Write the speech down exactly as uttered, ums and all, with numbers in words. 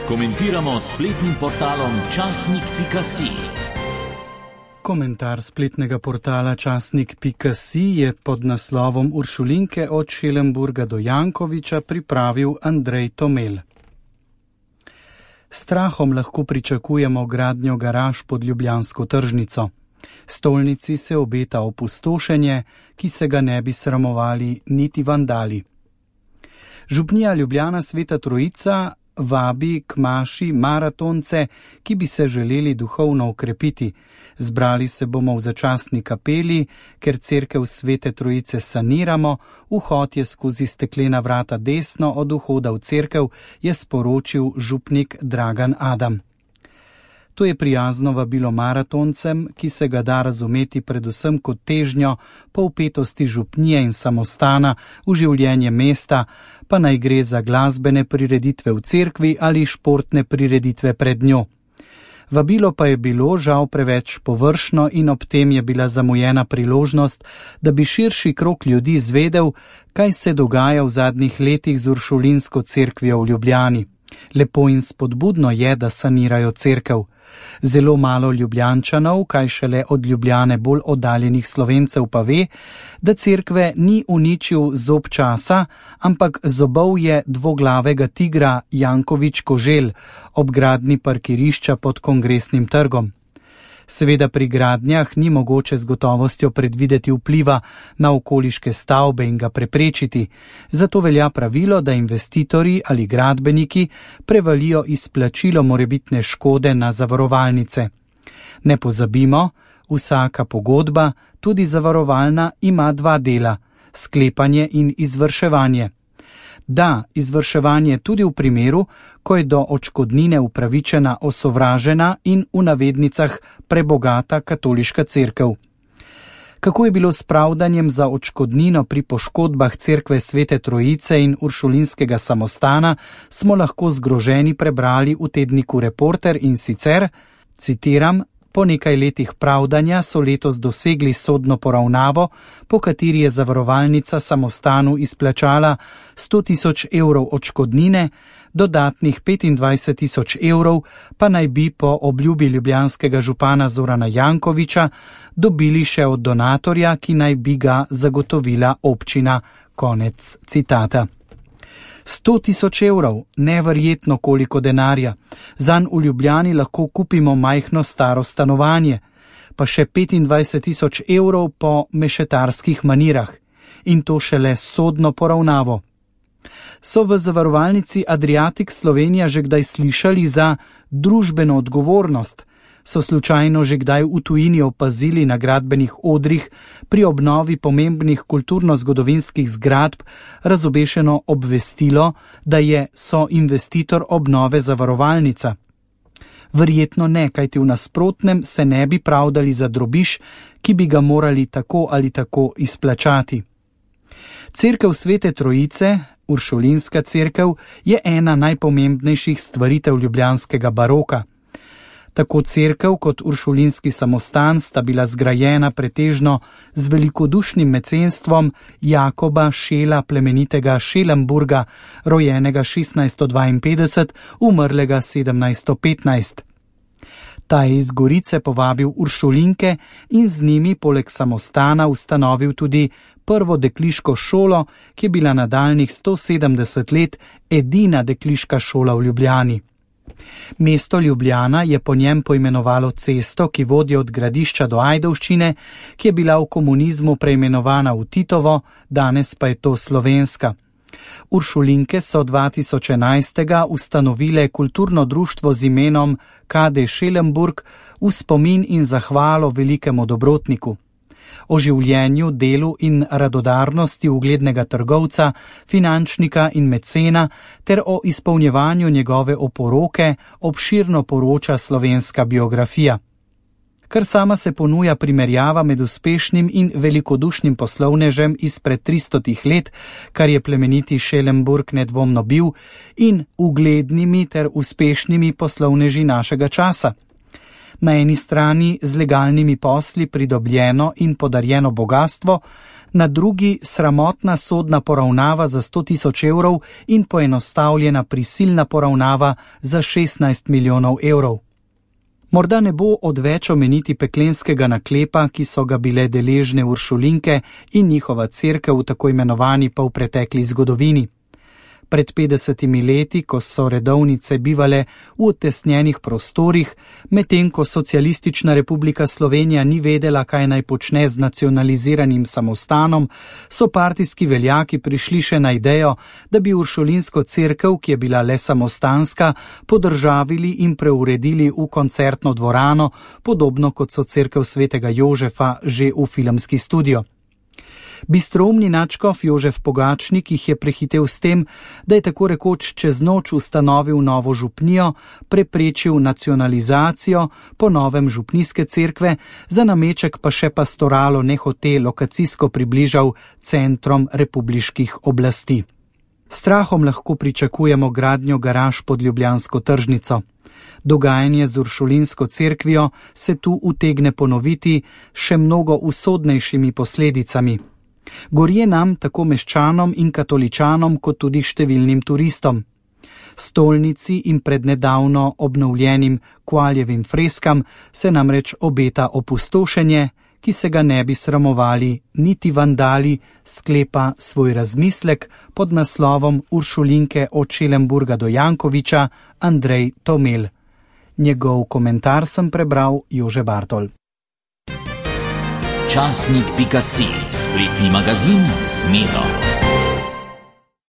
Komentiramo spletnim portalom časnik pika si. Komentar spletnega portala časnik pika si je pod naslovom Uršulinke od Šelenburga do Jankoviča pripravil Andrej Tomel. Strahom lahko pričakujemo gradnjo garaž pod ljubljansko tržnico. Stolnici se obeta opustošenje, ki se ga ne bi sramovali niti vandali. Župnija Ljubljana Sveta Trojica vabi k maši maratonce, ki bi se želeli duhovno okrepiti. Zbrali se bomo v začasni kapeli, ker cerkev Svete Trojice saniramo, vhod je skozi steklena vrata desno od vhoda v cerkev, je sporočil župnik Dragan Adam. To je prijazno vabilo maratoncem, ki se ga da razumeti predvsem kot težnjo po vpetosti župnije in samostana v življenje mesta, pa naj gre za glasbene prireditve v cerkvi ali športne prireditve pred njo. Vabilo pa je bilo žal preveč površno in ob tem je bila zamujena priložnost, da bi širši krog ljudi zvedel, kaj se dogaja v zadnjih letih z Uršulinsko cerkvijo v Ljubljani. Lepo in spodbudno je, da sanirajo cerkev. Zelo malo Ljubljančanov, kaj šele od Ljubljane bolj oddaljenih Slovencev pa ve, da cerkve ni uničil zob časa, ampak zobov je dvoglavega tigra Jankovič Koželj ob gradnji parkirišča pod Kongresnim trgom. Seveda pri gradnjah ni mogoče z gotovostjo predvideti vpliva na okoliške stavbe in ga preprečiti, zato velja pravilo, da investitorji ali gradbeniki prevalijo izplačilo morebitne škode na zavarovalnice. Ne pozabimo, vsaka pogodba, tudi zavarovalna, ima dva dela, sklepanje in izvrševanje. Da, izvrševanje tudi v primeru, ko je do odškodnine upravičena osovražena in v navednicah prebogata katoliška cerkev. Kako je bilo s pravdanjem za odškodnino pri poškodbah cerkve Svete Trojice in Uršulinskega samostana, smo lahko zgroženi prebrali v tedniku Reporter in sicer, citiram, po nekaj letih pravdanja so letos dosegli sodno poravnavo, po kateri je zavarovalnica samostanu izplačala sto tisoč evrov odškodnine, dodatnih petindvajset tisoč evrov pa naj bi po obljubi ljubljanskega župana Zorana Jankoviča dobili še od donatorja, ki naj bi ga zagotovila občina. Konec citata. Sto tisoč evrov, neverjetno koliko denarja. Zanj v Ljubljani lahko kupimo majhno staro stanovanje, pa še petindvajset tisoč evrov po mešetarskih manirah. In to šele sodno poravnavo. So v zavarovalnici Adriatic Slovenija že kdaj slišali za družbeno odgovornost? So slučajno že kdaj v tujini opazili na gradbenih odrih pri obnovi pomembnih kulturno-zgodovinskih zgradb razobešeno obvestilo, da je soinvestitor obnove zavarovalnica? Verjetno ne, kajti v nasprotnem se ne bi pravdali za drobiž, ki bi ga morali tako ali tako izplačati. Cerkev Svete Trojice, Uršulinska cerkev, je ena najpomembnejših stvaritev ljubljanskega baroka. Tako cerkev kot Uršulinski samostan sta bila zgrajena pretežno z velikodušnim mecenstvom Jakoba Šela plemenitega Šelenburga, rojenega šestnajststo dvainpetdeset, umrlega sedemnajststo petnajst. Ta je iz Gorice povabil Uršulinke in z njimi poleg samostana ustanovil tudi prvo dekliško šolo, ki je bila nadaljnjih sto sedemdeset let edina dekliška šola v Ljubljani. Mesto Ljubljana je po njem poimenovalo cesto, ki vodi od Gradišča do Ajdovščine, ki je bila v komunizmu preimenovana v Titovo, danes pa je to Slovenska. Uršulinke so dva tisoč enajst ustanovile kulturno društvo z imenom K D Šelenburg v spomin in zahvalo velikemu dobrotniku. O življenju, delu in radodarnosti uglednega trgovca, finančnika in mecena ter o izpolnjevanju njegove oporoke obširno poroča slovenska biografija. Kar sama se ponuja primerjava med uspešnim in velikodušnim poslovnežem izpred tristotih let, kar je plemeniti Šelenburg nedvomno bil, in uglednimi ter uspešnimi poslovneži našega časa. Na eni strani z legalnimi posli pridobljeno in podarjeno bogatstvo, na drugi sramotna sodna poravnava za sto tisoč evrov in poenostavljena prisilna poravnava za šestnajst milijonov evrov. Morda ne bo odveč omeniti peklenskega naklepa, ki so ga bile deležne uršulinke in njihova cerkev v tako imenovani polpretekli zgodovini. Pred petdesetimi leti, ko so redovnice bivale v utesnjenih prostorih, medtem ko Socialistična republika Slovenija ni vedela, kaj naj počne z nacionaliziranim samostanom, so partijski veljaki prišli še na idejo, da bi uršulinsko cerkev, ki je bila le samostanska, podržavili in preuredili v koncertno dvorano, podobno kot so cerkev svetega Jožefa že v filmski studio. Bistroumni nadškof Jožef Pogačnik jih je prehitel s tem, da je tako rekoč čez noč ustanovil novo župnijo, preprečil nacionalizacijo, po novem župnijske cerkve, za nameček pa še pastoralo nehote lokacijsko približal centrom republiških oblasti. Strahom lahko pričakujemo gradnjo garaž pod ljubljansko tržnico. Dogajanje z uršulinsko cerkvijo se tu utegne ponoviti še mnogo usodnejšimi posledicami. Gorje nam, tako meščanom in katoličanom, kot tudi številnim turistom. Stolnici in prednedavno obnovljenim Koaljevim freskam se namreč obeta opustošenje, ki se ga ne bi sramovali niti vandali, sklepa svoj razmislek pod naslovom Uršulinke od Šelenburga do Jankoviča Andrej Tomel. Njegov komentar sem prebral Jože Bartol. Časnik pika si, spletni magazin z Miro.